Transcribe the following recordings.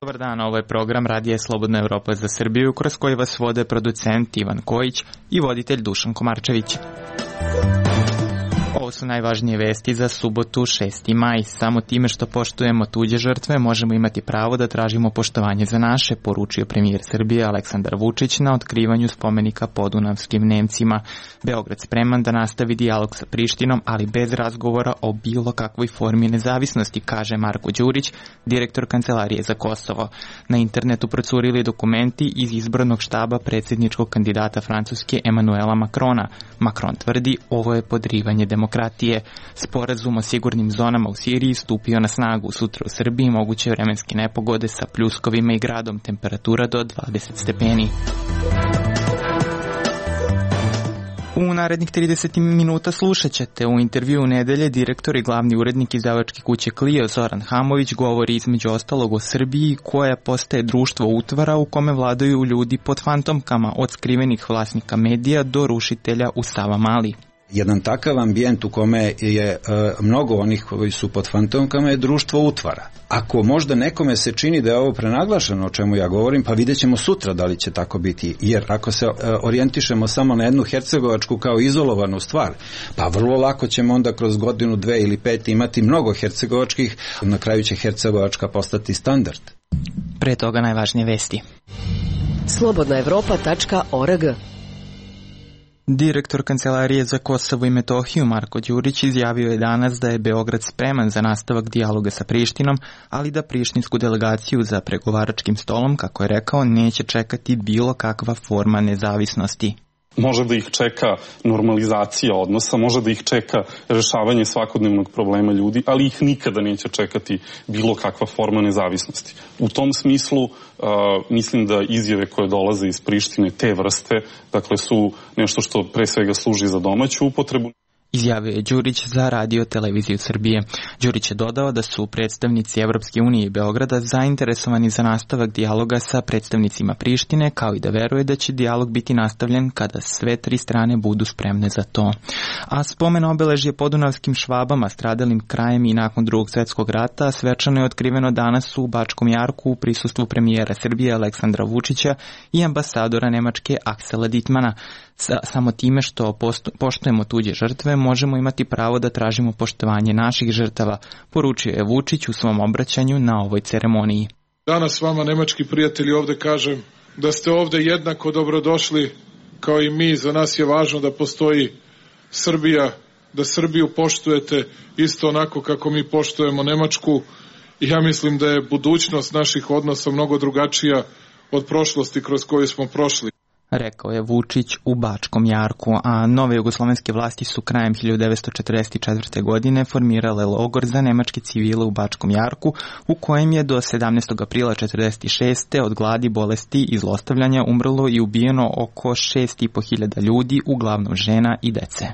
Dobar dan, ovo je program Radija Slobodna Evropa za Srbiju, kroz koji vas vode producent Ivan Kojić i voditelj Dušan Komarčević. Ovo su najvažnije vesti za subotu 6. maj. Samo time što poštujemo tuđe žrtve možemo imati pravo da tražimo poštovanje za naše, poručio premijer Srbije Aleksandar Vučić na otkrivanju spomenika podunavskim Nemcima. Beograd spreman da nastavi dijalog sa Prištinom, ali bez razgovora o bilo kakvoj formi nezavisnosti, kaže Marko Đurić, direktor Kancelarije za Kosovo. Na internetu procurili dokumenti iz izbornog štaba predsjedničkog kandidata Francuske Emanuela Macrona. Macron tvrdi ovo je podrivanje demokratije. Sporazum o sigurnim zonama u Siriji stupio na snagu. Sutra u Srbiji moguće vremenske nepogode sa pljuskovima i gradom, temperatura do 20 stepeni. U narednih 30 minuta slušat ćete u intervju nedelje direktor i glavni urednik izdavačke kuće Clio Zoran Hamović govori između ostalog o Srbiji koja postaje društvo utvara u kome vladaju ljudi pod fantomkama, od skrivenih vlasnika medija do rušitelja u Savamali. Jedan takav ambijent u kome je mnogo onih koji su pod fantomkama je društvo utvara. Ako možda nekome se čini da je ovo prenaglašeno o čemu ja govorim, pa vidjet ćemo sutra da li će tako biti. Jer ako se orijentišemo samo na jednu hercegovačku kao izolovanu stvar, pa vrlo lako ćemo onda kroz godinu, 2 ili 5 imati mnogo hercegovačkih, na kraju će hercegovačka postati standard. Pre toga najvažnije vesti. slobodnaevropa.org. Direktor Kancelarije za Kosovo i Metohiju Marko Đurić izjavio je danas da je Beograd spreman za nastavak dijaloga sa Prištinom, ali da prištinsku delegaciju za pregovaračkim stolom, kako je rekao, neće čekati bilo kakva forma nezavisnosti. Može da ih čeka normalizacija odnosa, može da ih čeka rešavanje svakodnevnog problema ljudi, ali ih nikada neće čekati bilo kakva forma nezavisnosti. U tom smislu mislim da izjave koje dolaze iz Prištine te vrste, dakle su nešto što pre svega služi za domaću upotrebu. Izjavio je Đurić za Radio Televiziju Srbije. Đurić je dodao da su predstavnici Evropske unije i Beograda zainteresovani za nastavak dijaloga sa predstavnicima Prištine, kao i da veruje da će dijalog biti nastavljen kada sve tri strane budu spremne za to. A spomen obeležje podunavskim Švabama stradalim krajem i nakon Drugog svjetskog rata svečano je otkriveno danas u Bačkom Jarku u prisustvu premijera Srbije Aleksandra Vučića i ambasadora Nemačke Aksela Dittmana. Samo time što poštujemo tuđe žrtve možemo imati pravo da tražimo poštovanje naših žrtava, poručio je Vučić u svom obraćanju na ovoj ceremoniji. Danas vama, nemački prijatelji, ovde kažem da ste ovde jednako dobrodošli kao i mi. Za nas je važno da postoji Srbija, da Srbiju poštujete isto onako kako mi poštujemo Nemačku. I ja mislim da je budućnost naših odnosa mnogo drugačija od prošlosti kroz koju smo prošli, rekao je Vučić u Bačkom Jarku, a nove jugoslovenske vlasti su krajem 1944. godine formirale logor za nemačke civile u Bačkom Jarku, u kojem je do 17. aprila 1946. od gladi, bolesti i zlostavljanja umrlo i ubijeno oko 6.500 ljudi, uglavnom žena i dece.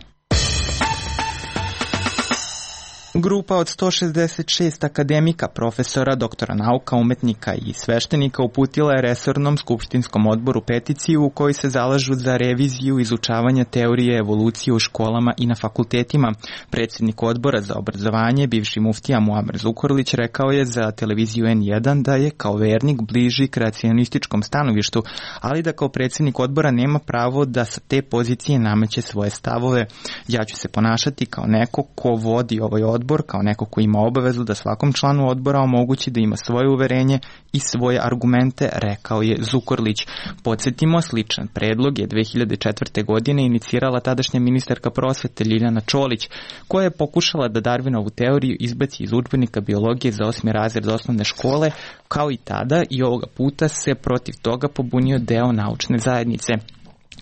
Grupa od 166 akademika, profesora, doktora nauka, umetnika i sveštenika uputila je resornom skupštinskom odboru peticiju u kojoj se zalažu za reviziju izučavanja teorije evolucije u školama i na fakultetima. Predsjednik odbora za obrazovanje, bivši muftija Muamer Zukorlić, rekao je za televiziju N1 da je kao vernik bliži kreacionističkom stanovištu, ali da kao predsjednik odbora nema pravo da sa te pozicije nameće svoje stavove. Ja ću se ponašati kao neko ko vodi ovaj odbor, kao neko ko ima obavezu da svakom članu odbora omogući da ima svoje uverenje i svoje argumente, rekao je Zukorlić. Podsjetimo, sličan predlog je 2004. godine inicirala tadašnja ministarka prosvete Ljiljana Čolić, koja je pokušala da Darwinovu teoriju izbaci iz udžbenika biologije za 8. razred osnovne škole, kao i tada i ovoga puta se protiv toga pobunio deo naučne zajednice.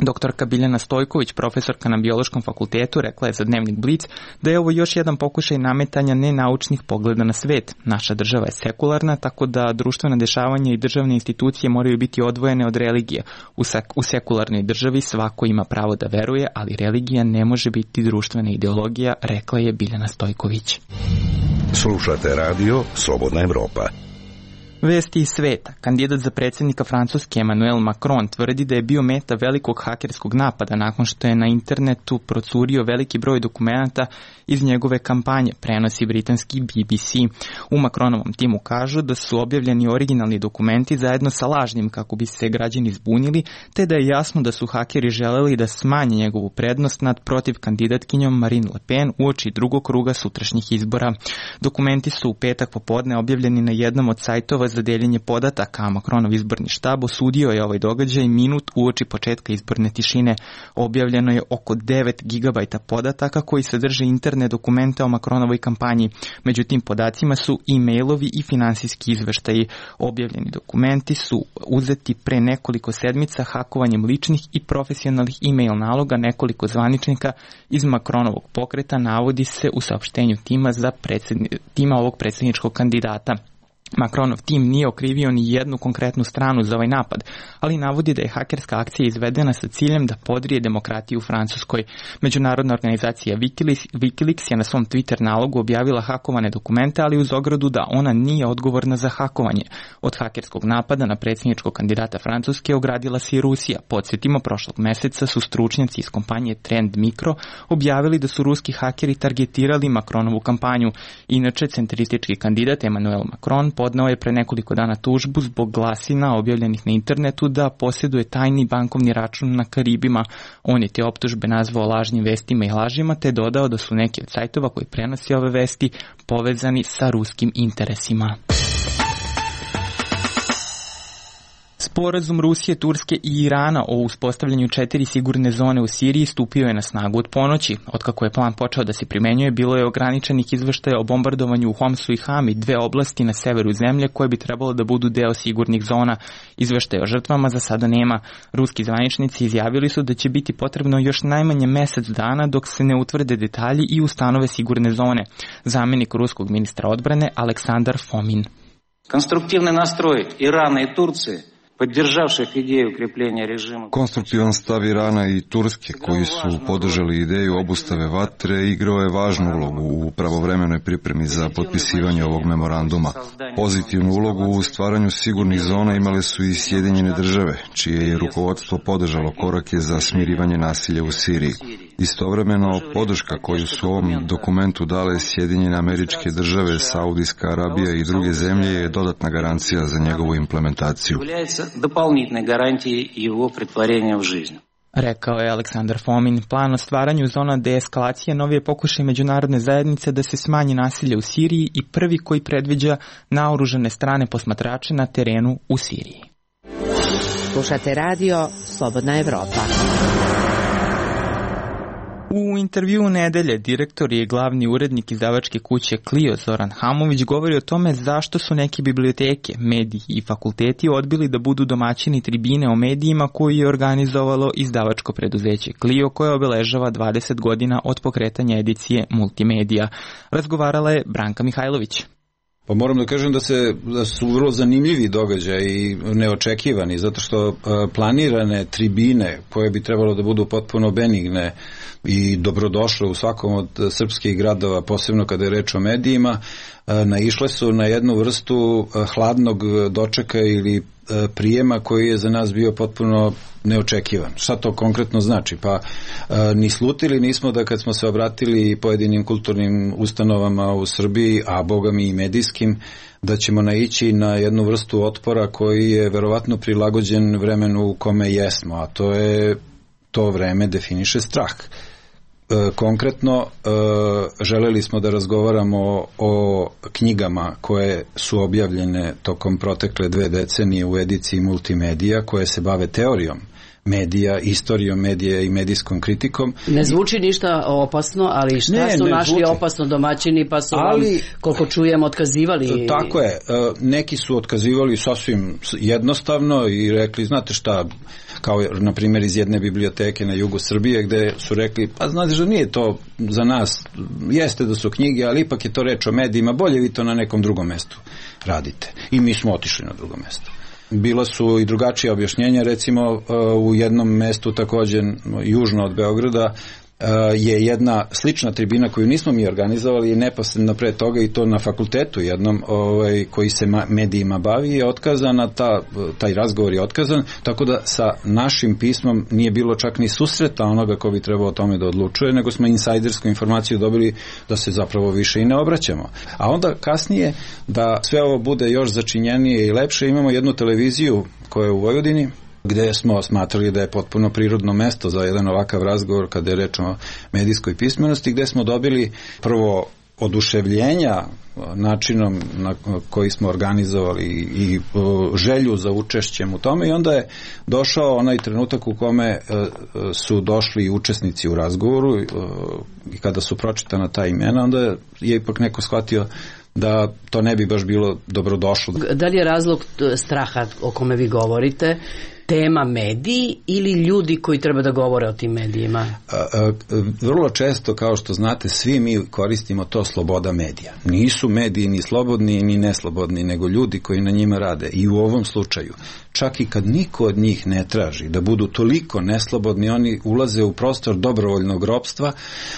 Doktorka Biljana Stojković, profesorka na Biološkom fakultetu, rekla je za Dnevnik Blic da je ovo još jedan pokušaj nametanja nenaučnih pogleda na svet. Naša država je sekularna, tako da društvena dešavanja i državne institucije moraju biti odvojene od religije. U sekularnoj državi svako ima pravo da veruje, ali religija ne može biti društvena ideologija, rekla je Biljana Stojković. Slušate radio Slobodna Evropa. Vesti iz sveta. Kandidat za predsjednika Francuske Emmanuel Macron tvrdi da je bio meta velikog hakerskog napada nakon što je na internetu procurio veliki broj dokumenata iz njegove kampanje, prenosi britanski BBC. U Macronovom timu kažu da su objavljeni originalni dokumenti zajedno sa lažnim kako bi se građani zbunili, te da je jasno da su hakeri želeli da smanje njegovu prednost nad protiv kandidatkinjom Marine Le Pen uoči drugog kruga sutrašnjih izbora. Dokumenti su u petak popodne objavljeni na jednom od sajtova za deljenje podataka, a Macronov izborni štab osudio je ovaj događaj minut uoči početka izborne tišine. Objavljeno je oko 9 gigabajta podataka koji sadrže interne dokumente o Macronovoj kampanji. Među tim podacima su e-mailovi i finansijski izveštaji. Objavljeni dokumenti su uzeti pre nekoliko sedmica hakovanjem ličnih i profesionalnih e-mail naloga nekoliko zvaničnika iz Macronovog pokreta, navodi se u saopštenju tima ovog predsjedničkog kandidata. Macronov tim nije okrivio ni jednu konkretnu stranu za ovaj napad, ali navodi da je hakerska akcija izvedena sa ciljem da podrije demokratiju u Francuskoj. Međunarodna organizacija Wikileaks je na svom Twitter nalogu objavila hakovane dokumente, ali uz ogradu da ona nije odgovorna za hakovanje. Od hakerskog napada na predsjedničkog kandidata Francuske ogradila se i Rusija. Podsjetimo, prošlog meseca su stručnjaci iz kompanije Trend Micro objavili da su ruski hakeri targetirali Macronovu kampanju. Inače, centristički kandidat Emmanuel Macron podneo je pre nekoliko dana tužbu zbog glasina objavljenih na internetu da posjeduje tajni bankovni račun na Karibima. On je te optužbe nazvao lažnim vestima i lažima, te dodao da su neki od sajtova koji prenose ove vesti povezani sa ruskim interesima. Sporazum Rusije, Turske i Irana o uspostavljanju 4 sigurne zone u Siriji stupio je na snagu od ponoći. Otkako je plan počeo da se primenjuje, bilo je ograničenih izveštaja o bombardovanju u Homsu i Hami, 2 oblasti na severu zemlje koje bi trebalo da budu deo sigurnih zona. Izveštaja o žrtvama za sada nema. Ruski zvaničnici izjavili su da će biti potrebno još najmanje mesec dana dok se ne utvrde detalji i ustanove sigurne zone. Zamjenik ruskog ministra odbrane Aleksandar Fomin. Konstruktivni nastroj Irana i Turcije podržavših ideju ukrepljenja režima. Konstruktivan stav Irana i Turske, koji su podržali ideju obustave vatre, igrao je važnu ulogu u pravovremenoj pripremi za potpisivanje ovog memoranduma. Pozitivnu ulogu u stvaranju sigurnih zona imale su i Sjedinjene države, čije je rukovodstvo podržalo korake za smirivanje nasilja u Siriji. Istovremeno, podrška koju su ovom dokumentu dale Sjedinjene Američke Države, Saudijska Arabija i druge zemlje je dodatna garancija za njegovu implementaciju. Дополнительной гарантии его претворения в жизнь. Rekao je Aleksandar Fomin. Plan o stvaranju zona deeskalacije novi je pokušaj međunarodne zajednice da se smanji nasilje u Siriji i prvi koji predviđa naoružane strane posmatrače na terenu u Siriji. Slušate radio Slobodna Evropa. U intervjuu nedelje direktor i glavni urednik izdavačke kuće Clio Zoran Hamović govori o tome zašto su neke biblioteke, mediji i fakulteti odbili da budu domaćini tribine o medijima koju je organizovalo izdavačko preduzeće Clio, koje obeležava 20 godina od pokretanja edicije Multimedija. Razgovarala je Branka Mihajlović. Pa moram da kažem da su vrlo zanimljivi događaji i neočekivani, zato što planirane tribine koje bi trebalo da budu potpuno benigne i dobrodošle u svakom od srpskih gradova, posebno kada je reč o medijima, naišle su na jednu vrstu hladnog dočeka ili prijema koji je za nas bio potpuno neočekivan. Šta to konkretno znači? Pa ni slutili nismo da kad smo se obratili pojedinim kulturnim ustanovama u Srbiji, a bogami i medijskim, da ćemo naići na jednu vrstu otpora koji je verovatno prilagođen vremenu u kome jesmo, a to vreme definiše strah. Konkretno, želeli smo da razgovaramo o knjigama koje su objavljene tokom protekle 2 decenije u ediciji Multimedija, koje se bave teorijom medija, istorijom medija i medijskom kritikom. Ne zvuči ništa opasno, ali šta su našli opasno domaćini, pa su vam, koliko čujemo, otkazivali? Tako je, neki su otkazivali sasvim jednostavno i rekli, znate šta, kao na primjer iz jedne biblioteke na jugu Srbije, gde su rekli, pa znate što nije to za nas, jeste da su knjige, ali ipak je to reč o medijima, bolje vi to na nekom drugom mestu radite. I mi smo otišli na drugo mesto. Bila su i drugačija objašnjenja, recimo u jednom mestu također južno od Beograda je jedna slična tribina koju nismo mi organizovali i neposredno pre toga i to na fakultetu jednom koji se medijima bavi je otkazana, taj razgovor je otkazan, tako da sa našim pismom nije bilo čak ni susreta onoga ko bi trebao o tome da odlučuje, nego smo insajdersku informaciju dobili da se zapravo više i ne obraćamo. A onda kasnije da sve ovo bude još začinjenije i lepše, imamo jednu televiziju koja je u Vojvodini, gde smo smatrali da je potpuno prirodno mesto za jedan ovakav razgovor kada je reč o medijskoj pismenosti, gde smo dobili prvo oduševljenja načinom na koji smo organizovali i želju za učešćem u tome i onda je došao onaj trenutak u kome su došli učesnici u razgovoru i kada su pročitana ta imena, onda je ipak neko shvatio da to ne bi baš bilo dobrodošlo. Da li je razlog straha o kome vi govorite tema mediji ili ljudi koji treba da govore o tim medijima? Vrlo često, kao što znate, svi mi koristimo to sloboda medija. Nisu mediji ni slobodni ni neslobodni, nego ljudi koji na njima rade. I u ovom slučaju, čak i kad niko od njih ne traži da budu toliko neslobodni, oni ulaze u prostor dobrovoljnog ropstva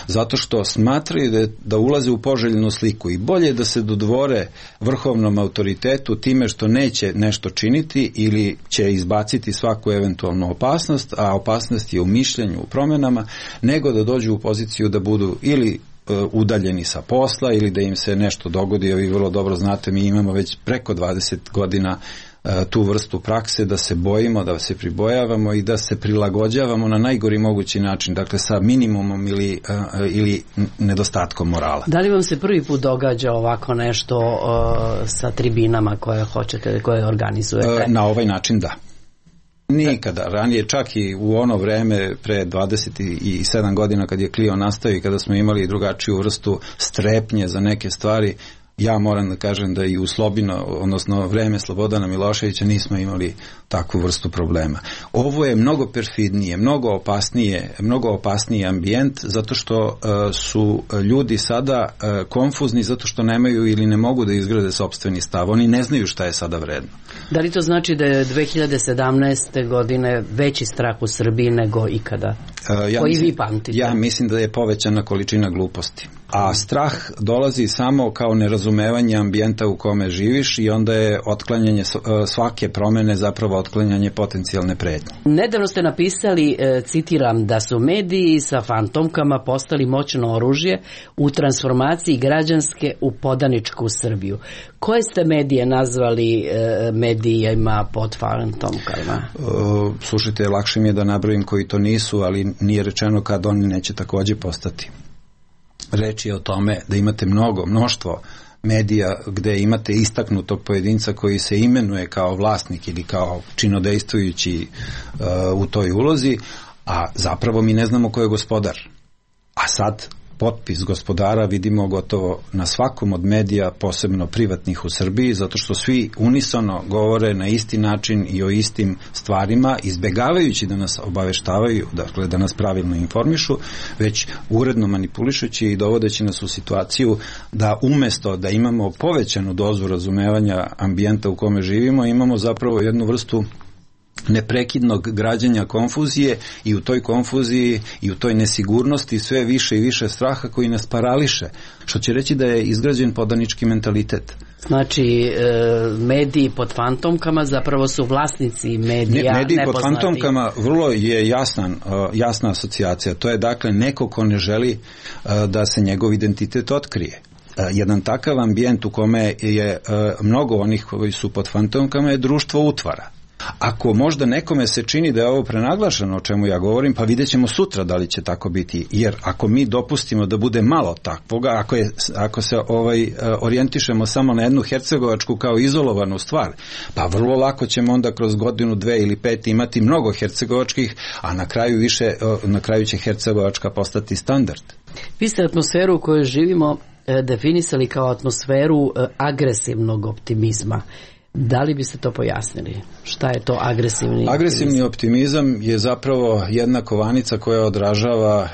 zato što smatraju da ulaze u poželjnu sliku i bolje da se dodvore vrhovnom autoritetu time što neće nešto činiti ili će izbaciti svaku eventualnu opasnost, a opasnost je u mišljenju, u promenama, nego da dođu u poziciju da budu ili udaljeni sa posla ili da im se nešto dogodi. Vi vrlo dobro znate, mi imamo već preko 20 godina tu vrstu prakse da se bojimo, da se pribojavamo i da se prilagođavamo na najgori mogući način, dakle sa minimumom ili nedostatkom morala. Da li vam se prvi put događa ovako nešto sa tribinama koje hoćete, koje organizujete? Na ovaj način da. Nikada. Ranije, čak i u ono vreme pre 27 godina kad je Klio nastao i kada smo imali drugačiju vrstu strepnje za neke stvari, ja moram da kažem da i u Slobino, odnosno vreme Slobodana Miloševića nismo imali takvu vrstu problema. Ovo je mnogo perfidnije, mnogo opasniji ambijent zato što su ljudi sada konfuzni zato što nemaju ili ne mogu da izgrade sopstveni stav. Oni ne znaju šta je sada vredno. Da li to znači da je 2017. godine veći strah u Srbiji nego ikada? Koji vi pamtite? Ja mislim da je povećana količina gluposti. A strah dolazi samo kao nerazumevanje ambijenta u kome živiš i onda je otklanjanje svake promene zapravo otklanjanje potencijalne pretnje. Nedavno ste napisali, citiram, da su mediji sa fantomkama postali moćno oružje u transformaciji građanske u podaničku Srbiju. Koje ste medije nazvali medijima pod fantomkama? Slušajte, lakše mi je da nabrojim koji to nisu, ali nije rečeno kad oni neće takođe postati. Reč je o tome da imate mnoštvo medija gde imate istaknutog pojedinca koji se imenuje kao vlasnik ili kao činodejstvujući u toj ulozi, a zapravo mi ne znamo ko je gospodar. A sad potpis gospodara vidimo gotovo na svakom od medija, posebno privatnih u Srbiji, zato što svi unisono govore na isti način i o istim stvarima, izbegavajući da nas obaveštavaju, dakle da nas pravilno informišu, već uredno manipulišući i dovodeći nas u situaciju da umesto da imamo povećanu dozu razumevanja ambijenta u kome živimo, imamo zapravo jednu vrstu neprekidnog građanja konfuzije i u toj konfuziji i u toj nesigurnosti sve više i više straha koji nas parališe, što će reći da je izgrađen podanički mentalitet. Znači, mediji pod fantomkama zapravo su vlasnici medija mediji nepoznati. Pod fantomkama vrlo je jasna asocijacija. To je dakle neko ko ne želi da se njegov identitet otkrije. Jedan takav ambijent u kome je mnogo onih koji su pod fantomkama je društvo utvara. Ako možda nekome se čini da je ovo prenaglašeno o čemu ja govorim, pa vidjet ćemo sutra da li će tako biti, jer ako mi dopustimo da bude malo takvoga, ako se orijentišemo samo na jednu hercegovačku kao izolovanu stvar, pa vrlo lako ćemo onda kroz godinu, 2 ili 5 imati mnogo hercegovačkih, a na kraju će hercegovačka postati standard. Vi ste atmosferu u kojoj živimo definisali kao atmosferu agresivnog optimizma. Da li biste to pojasnili? Šta je to agresivni optimizam? Agresivni optimizam je zapravo jedna kovanica koja odražava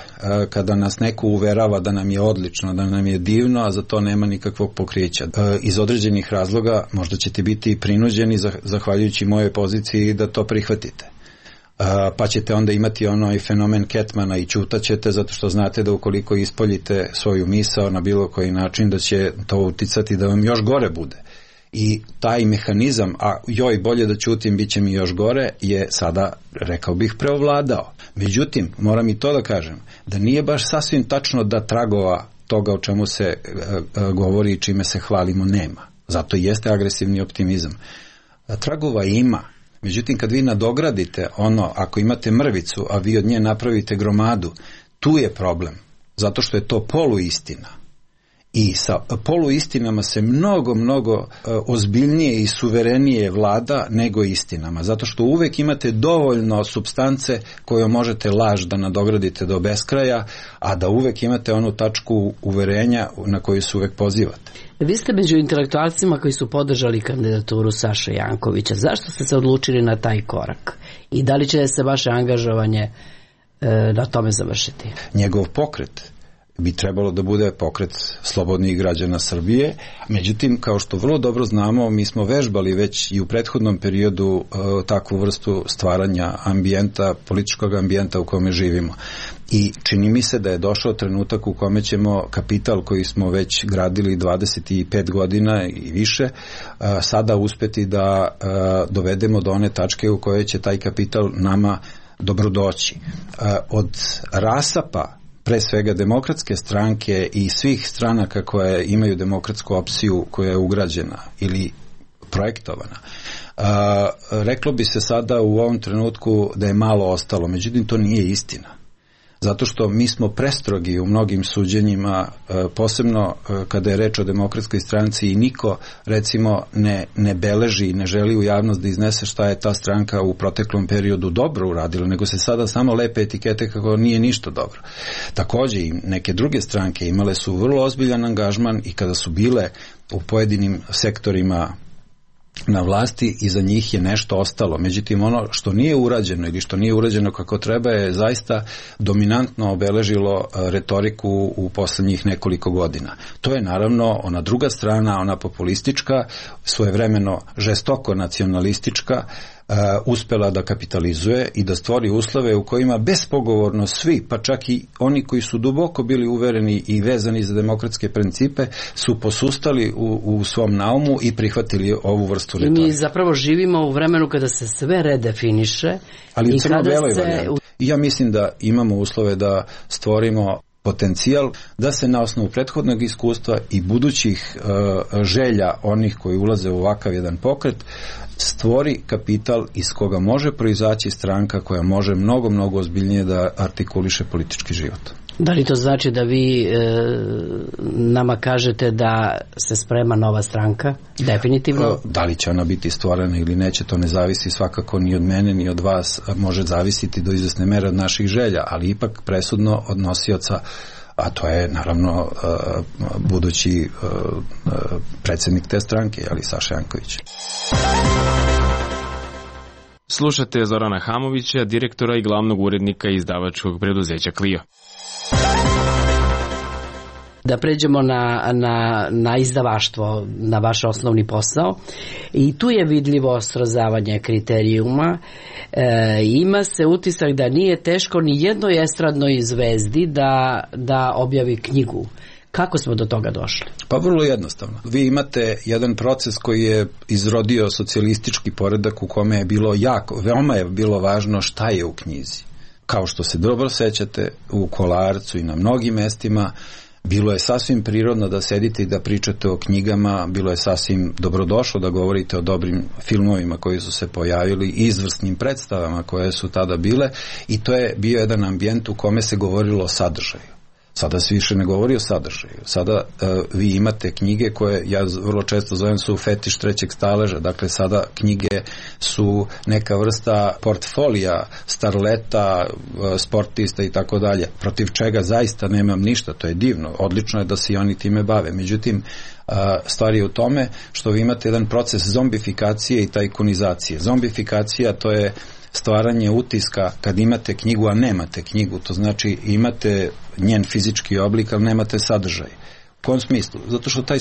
kada nas neko uverava da nam je odlično, da nam je divno, a za to nema nikakvog pokrića. Iz određenih razloga možda ćete biti prinuđeni, zahvaljujući mojoj poziciji, da to prihvatite. pa ćete onda imati onaj fenomen Ketmana i ćutaćete zato što znate da ukoliko ispoljite svoju misao na bilo koji način da će to uticati da vam još gore bude. I taj mehanizam, a joj bolje da ćutim, bit će mi još gore, je sada, rekao bih, preovladao. Međutim, moram i to da kažem, da nije baš sasvim tačno da tragova toga o čemu se govori i čime se hvalimo nema. Zato i jeste agresivni optimizam. Tragova ima. Međutim, kad vi nadogradite ono, ako imate mrvicu, a vi od nje napravite gromadu, tu je problem. Zato što je to poluistina. I sa poluistinama se mnogo ozbiljnije i suverenije vlada nego istinama. Zato što uvek imate dovoljno supstance koju možete laž da nadogradite do beskraja, a da uvek imate onu tačku uverenja na koju se uvek pozivate. Vi ste među intelektualcima koji su podržali kandidaturu Saše Jankovića. Zašto ste se odlučili na taj korak? I da li će se vaše angažovanje na tome završiti? Njegov pokret bi trebalo da bude pokret slobodnih građana Srbije. Međutim, kao što vrlo dobro znamo, mi smo vežbali već i u prethodnom periodu takvu vrstu stvaranja ambijenta, političkog ambijenta u kome živimo. I čini mi se da je došao trenutak u kome ćemo kapital koji smo već gradili 25 godina i više, sada uspeti da dovedemo do one tačke u kojoj će taj kapital nama dobrodoći. Od rasapa pre svega Demokratske stranke i svih stranaka koje imaju demokratsku opciju koja je ugrađena ili projektovana. Reklo bi se sada u ovom trenutku da je malo ostalo, međutim to nije istina. Zato što mi smo prestrogi u mnogim suđenjima, posebno kada je reč o Demokratskoj stranci i niko recimo ne beleži i ne želi u javnost da iznese šta je ta stranka u proteklom periodu dobro uradila, nego se sada samo lepe etikete kako nije ništa dobro. Takođe i neke druge stranke imale su vrlo ozbiljan angažman i kada su bile u pojedinim sektorima na vlasti, iza njih je nešto ostalo. Međutim, ono što nije urađeno ili što nije urađeno kako treba je zaista dominantno obeležilo retoriku u poslednjih nekoliko godina. To je naravno ona druga strana, ona populistička, svojevremeno žestoko nacionalistička, uspela da kapitalizuje i da stvori uslove u kojima bespogovorno svi, pa čak i oni koji su duboko bili uvereni i vezani za demokratske principe, su posustali u svom naumu i prihvatili ovu vrstu retorike. I mi zapravo živimo u vremenu kada se sve redefiniše. Ali u crno-beloj varijanti. I ja mislim da imamo uslove da stvorimo potencijal da se na osnovu prethodnog iskustva i budućih želja onih koji ulaze u ovakav jedan pokret stvori kapital iz koga može proizaći stranka koja može mnogo ozbiljnije da artikuliše politički život. Da li to znači da vi nama kažete da se sprema nova stranka? Definitivno? Da li će ona biti stvorena ili neće, to ne zavisi svakako ni od mene ni od vas, može zavisiti do izvesne mere od naših želja, ali ipak presudno od nosioca, a to je naravno budući predsjednik te stranke, ali Saša Janković. Slušate Zorana Hamovića, direktora i glavnog urednika izdavačkog preduzeća Clio. Da pređemo na izdavaštvo, na vaš osnovni posao. I tu je vidljivo srozavanje kriterijuma. Ima se utisak da nije teško ni jednoj estradnoj zvezdi da objavi knjigu. Kako smo do toga došli? Pa vrlo jednostavno. Vi imate jedan proces koji je izrodio socijalistički poredak u kome je bilo veoma je bilo važno šta je u knjizi. Kao što se dobro sećate, u Kolarcu i na mnogim mestima bilo je sasvim prirodno da sedite i da pričate o knjigama, bilo je sasvim dobrodošlo da govorite o dobrim filmovima koji su se pojavili, izvrsnim predstavama koje su tada bile, i to je bio jedan ambijent u kome se govorilo o sadržaju. Sada se više ne govori o sadržaju. Sada vi imate knjige koje ja vrlo često zovem su fetiš trećeg staleža. Dakle, sada knjige su neka vrsta portfolija starleta, sportista i tako dalje. Protiv čega zaista nemam ništa. To je divno. Odlično je da se i oni time bave. Međutim, stvar je u tome što vi imate jedan proces zombifikacije i tajkunizacije. Zombifikacija, to je stvaranje utiska kad imate knjigu, a nemate knjigu. To znači imate njen fizički oblik, ali nemate sadržaj. U kom smislu? Zato što taj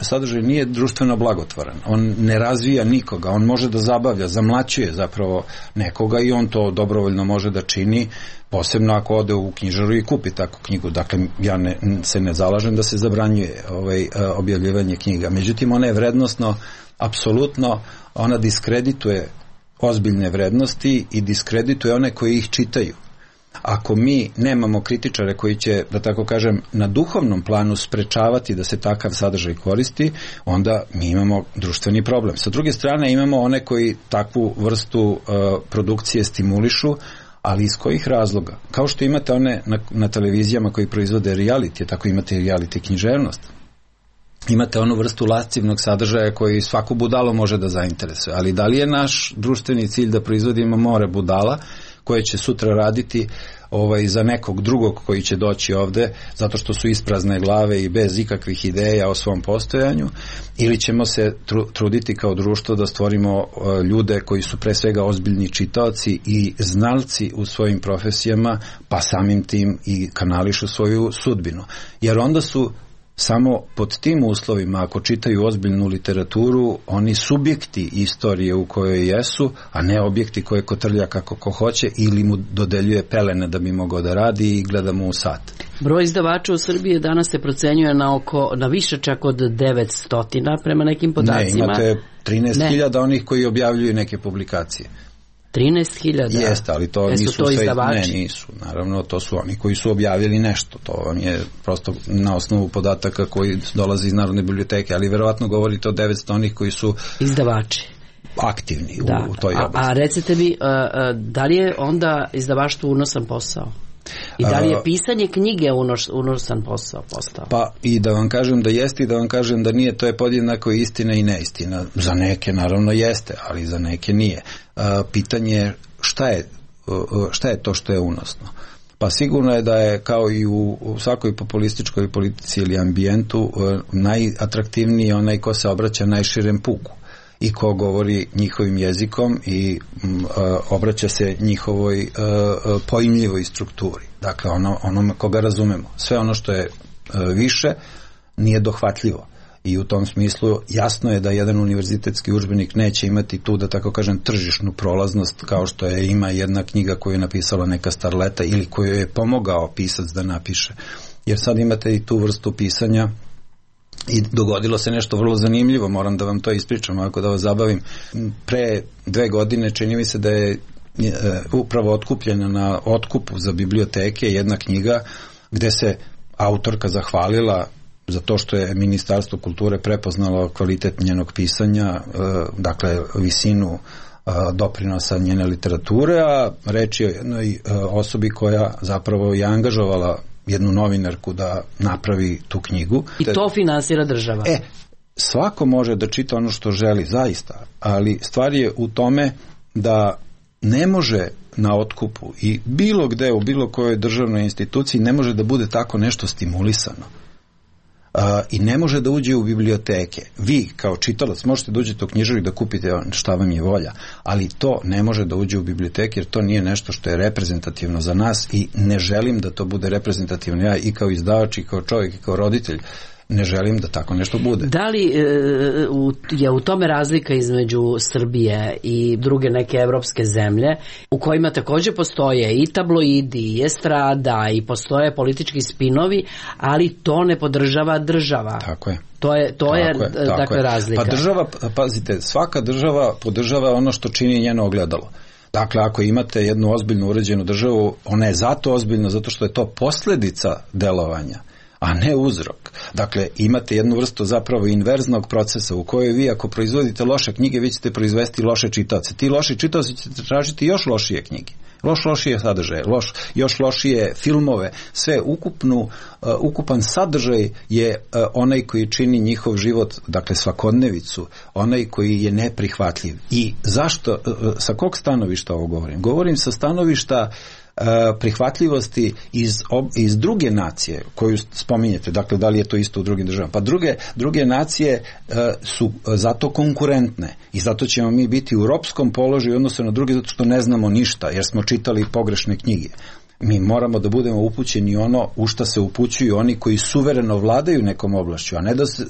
sadržaj nije društveno blagotvoran. On ne razvija nikoga, on može da zabavlja, zamlaćuje zapravo nekoga i on to dobrovoljno može da čini, posebno ako ode u knjižaru i kupi takvu knjigu. Dakle, ja se ne zalažem da se zabranjuje objavljivanje knjiga. Međutim, ona je vrednosno, apsolutno, ona diskredituje ozbiljne vrednosti i diskredituje one koji ih čitaju. Ako mi nemamo kritičare koji će, da tako kažem, na duhovnom planu sprečavati da se takav sadržaj koristi, onda mi imamo društveni problem. Sa druge strane imamo one koji takvu vrstu produkcije stimulišu, ali iz kojih razloga? Kao što imate one na televizijama koji proizvode reality, tako imate i reality književnost. Imate onu vrstu lascivnog sadržaja koji svaku budalo može da zainteresuje, ali da li je naš društveni cilj da proizvodimo more budala koje će sutra raditi za nekog drugog koji će doći ovde zato što su isprazne glave i bez ikakvih ideja o svom postojanju, ili ćemo se truditi kao društvo da stvorimo ljude koji su pre svega ozbiljni čitaoci i znalci u svojim profesijama, pa samim tim i kanališu svoju sudbinu. Jer onda su samo pod tim uslovima, ako čitaju ozbiljnu literaturu, oni subjekti istorije u kojoj jesu, a ne objekti koje kotrlja kako ko hoće ili mu dodeljuje pelene da bi mogao da radi i gleda mu u sat. Broj izdavača u Srbiji danas se procenjuje na više čak od 900 prema nekim podacima. Ne, imate 13.000 onih koji objavljuju neke publikacije. 13.000? Jeste, ali to nisu to izdavači? Ne, nisu. Naravno, to su oni koji su objavili nešto. To vam je prosto na osnovu podataka koji dolaze iz Narodne biblioteke, ali verovatno govorite o 900 onih koji su izdavači aktivni u toj oblasti. A recite mi, da li je onda izdavaštvo unosan posao? I da li je pisanje knjige unosan posao postao? Pa i da vam kažem da jeste i da vam kažem da nije, to je podjednako istina i neistina. Za neke naravno jeste, ali za neke nije. Pitanje je šta je to što je unosno? Pa sigurno je da je kao i u svakoj populističkoj politici ili ambijentu najatraktivniji onaj ko se obraća najširem puku i ko govori njihovim jezikom i obraća se njihovoj pojmljivoj strukturi. Dakle, onome koga razumemo. Sve ono što je više nije dohvatljivo. I u tom smislu jasno je da jedan univerzitetski udžbenik neće imati tu, da tako kažem, tržišnu prolaznost kao što ima jedna knjiga koju je napisala neka starleta ili koju je pomogao pisac da napiše. Jer sad imate i tu vrstu pisanja i dogodilo se nešto vrlo zanimljivo, moram da vam to ispričam, ako da vas zabavim. Pre 2 godine čini mi se da je upravo otkupljena na otkupu za biblioteke jedna knjiga gde se autorka zahvalila za to što je Ministarstvo kulture prepoznalo kvalitet njenog pisanja, dakle visinu doprinosa njene literature, a reč je o jednoj osobi koja zapravo je angažovala jednu novinarku da napravi tu knjigu. I to finansira država. Svako može da čita ono što želi, zaista, ali stvar je u tome da ne može na otkupu i bilo gde u bilo kojoj državnoj instituciji ne može da bude tako nešto stimulisano. I ne može da uđe u biblioteke. Vi kao čitalac možete da uđete u knjižaru i da kupite šta vam je volja, ali to ne može da uđe u biblioteke jer to nije nešto što je reprezentativno za nas i ne želim da to bude reprezentativno. Ja i kao izdavač i kao čovjek i kao roditelj ne želim da tako nešto bude. Da li je u tome razlika između Srbije i druge neke evropske zemlje u kojima također postoje i tabloidi i estrada i postoje politički spinovi, ali to ne podržava država? Tako je. To je dakle razlika. Pa država, pazite, svaka država podržava ono što čini njeno ogledalo. Dakle, ako imate jednu ozbiljno uređenu državu, ona je zato ozbiljna zato što je to posljedica delovanja, a ne uzrok. Dakle, imate jednu vrstu zapravo inverznog procesa u kojoj vi ako proizvodite loše knjige, vi ćete proizvesti loše čitaoce. Ti loši čitaoci ćete tražiti još lošije knjige, lošije sadržaje, još lošije filmove. Sve ukupan sadržaj je onaj koji čini njihov život, dakle svakodnevicu, onaj koji je neprihvatljiv. I zašto, sa kog stanovišta ovo govorim? Govorim sa stanovišta prihvatljivosti iz druge nacije koju spominjete, dakle da li je to isto u drugim državama, pa druge nacije su zato konkurentne i zato ćemo mi biti u ropskom položaju odnosno na druge zato što ne znamo ništa jer smo čitali pogrešne knjige. Mi moramo da budemo upućeni ono u šta se upućuju oni koji suvereno vladaju nekom oblašću, a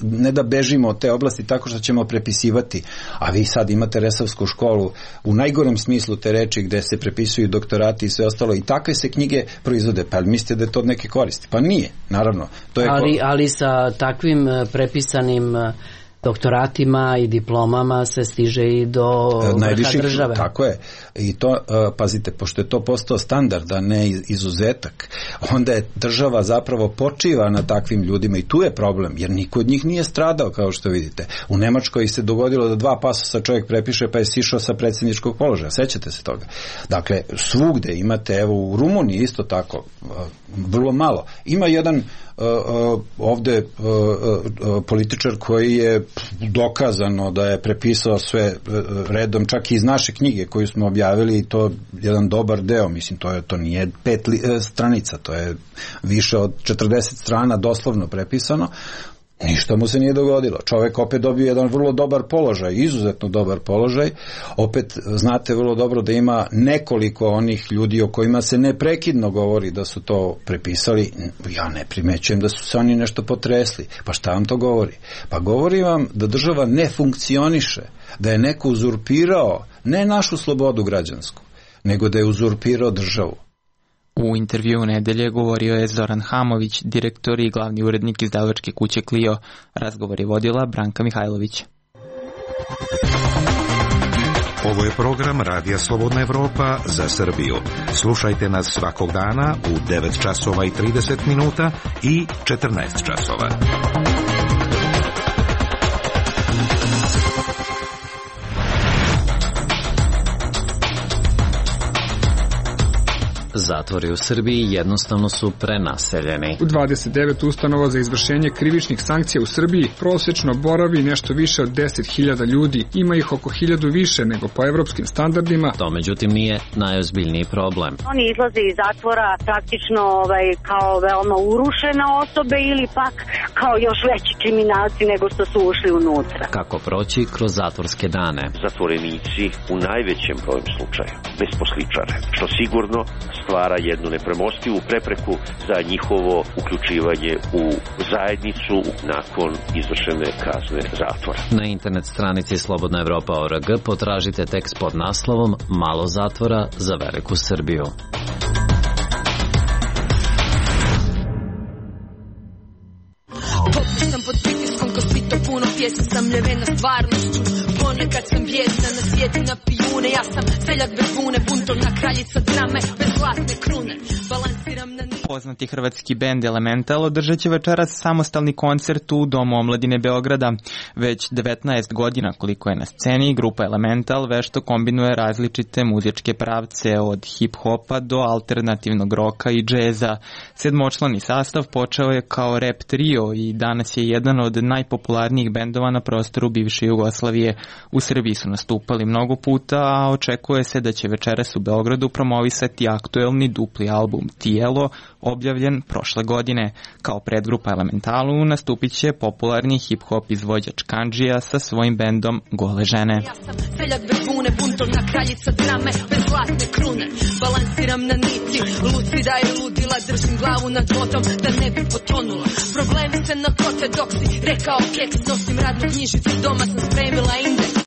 ne da bežimo od te oblasti tako što ćemo prepisivati. A vi sad imate Resavsku školu u najgorem smislu te reči gde se prepisuju doktorati i sve ostalo i takve se knjige proizvode. Pa mislite da je to od neke koristi? Pa nije, naravno. To je ali sa takvim prepisanim doktoratima i diplomama se stiže i do vrha države. Tako je. I to, pazite, pošto je to postao standard, a ne izuzetak, onda je država zapravo počiva na takvim ljudima i tu je problem, jer niko od njih nije stradao, kao što vidite. U Nemačkoj se dogodilo da 2 pasosa čovjek prepiše pa je sišao sa predsjedničkog položaja. Sećate se toga? Dakle, svugde imate, evo u Rumuniji isto tako, vrlo malo. Ima jedan ovde političar koji je dokazano da je prepisao sve redom, čak i iz naše knjige koju smo objavili, i to jedan dobar deo, mislim, to nije 5 stranica, to je više od 40 strana doslovno prepisano. Ništa mu se nije dogodilo. Čovjek opet dobio jedan vrlo dobar položaj, izuzetno dobar položaj. Opet znate vrlo dobro da ima nekoliko onih ljudi o kojima se neprekidno govori da su to prepisali. Ja ne primećujem da su se oni nešto potresli. Pa šta vam to govori? Pa govori vam da država ne funkcioniše, da je neko uzurpirao ne našu slobodu građansku, nego da je uzurpirao državu. U intervjuu nedelje govorio je Zoran Hamović, direktor i glavni urednik izdavačke kuće Clio. Razgovor je vodila Branka Mihajlović. Ovo je program Radija Slobodna Evropa za Srbiju. Slušajte nas svakog dana u 9 časova i 30 minuta i 14 časova. Zatvori u Srbiji jednostavno su prenaseljeni. U 29 ustanova za izvršenje krivičnih sankcija u Srbiji prosečno boravi nešto više od 10.000 ljudi. Ima ih oko 1.000 više nego po evropskim standardima. To međutim nije najozbiljniji problem. Oni izlaze iz zatvora praktično kao veoma urušene osobe ili pak kao još veći kriminalci nego što su ušli unutra. Kako proći kroz zatvorske dane? Zatvorenici u najvećem broju slučaja besposličare, što sigurno stvara jednu nepremostivu prepreku za njihovo uključivanje u zajednicu nakon izvršene kazne zatvora. Na internet stranici slobodnaevropa.org potražite tekst pod naslovom Malo zatvora za veliku Srbiju. Poput sam pod pritiskom ko svito puno pjesma sam ljevena stvarnošću. Ponekad sam bijesna na svijeti na pijune. Ja sam seljak bez bune, buntovna kraljica drame bez zlatne krune. Balansiram na nit. Poznati hrvatski bend Elemental održat će večeras samostalni koncert u Domu omladine Beograda. Već 19 godina koliko je na sceni, grupa Elemental vešto kombinuje različite muzičke pravce od hip-hopa do alternativnog roka i džeza. Sedmočlani sastav počeo je kao rap trio i danas je jedan od najpopularnijih bendova na prostoru bivše Jugoslavije. U Srbiji su nastupali mnogo puta, a očekuje se da će večeras u Beogradu promovisati aktuelni dupli album Tijelo, objavljen prošle godine. Kao predgrupa Elementalu nastupit će popularni hip-hop izvođač Kandžija sa svojim bendom Gole žene. Ja sam seljak bez bune, buntovna kraljica drame bez zlatne krune. Balansiram na niti, lucida i ludila, držim glavu nad vodom da ne bi potonula. Problemi se nakote dok si rekao keks, nosim radnu knjižicu, doma sam spremila indeks.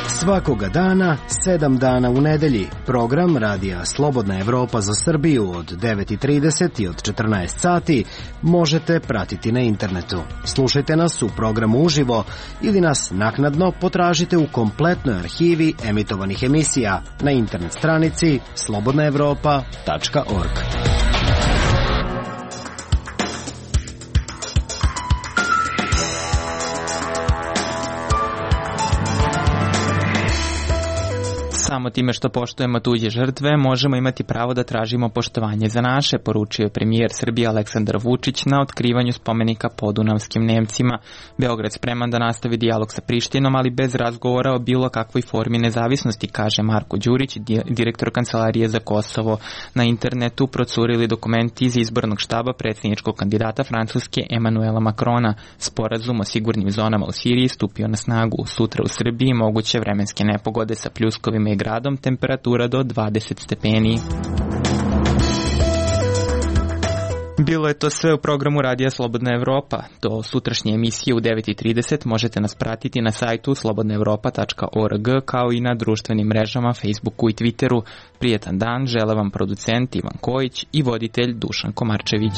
Svakoga dana, 7 dana u nedelji, program Radija Slobodna Evropa za Srbiju od 9:30 i od 14 sati možete pratiti na internetu. Slušajte nas u programu uživo ili nas naknadno potražite u kompletnoj arhivi emitovanih emisija na internet stranici slobodnaevropa.org. Samo time što poštujemo tuđe žrtve, možemo imati pravo da tražimo poštovanje za naše, poručio je premijer Srbije Aleksandar Vučić na otkrivanju spomenika podunavskim Nemcima. Beograd spreman da nastavi dijalog sa Prištinom, ali bez razgovora o bilo kakvoj formi nezavisnosti, kaže Marko Đurić, direktor Kancelarije za Kosovo. Na internetu procurili dokumenti iz izbornog štaba predsjedničkog kandidata Francuske Emanuela Macrona. Sporazum o sigurnim zonama u Siriji stupio na snagu. Sutra u Srbiji moguće vremenske nepogode sa pljuskovima gradom, temperatura do 20 stepeni. Bilo je to sve u programu Radija Slobodna Evropa. Do sutrašnje emisije u 9:30 možete nas pratiti na sajtu slobodnaevropa.org kao i na društvenim mrežama Facebooku i Twitteru. Prijetan dan žele vam producent Ivan Kojić i voditelj Dušan Komarčević.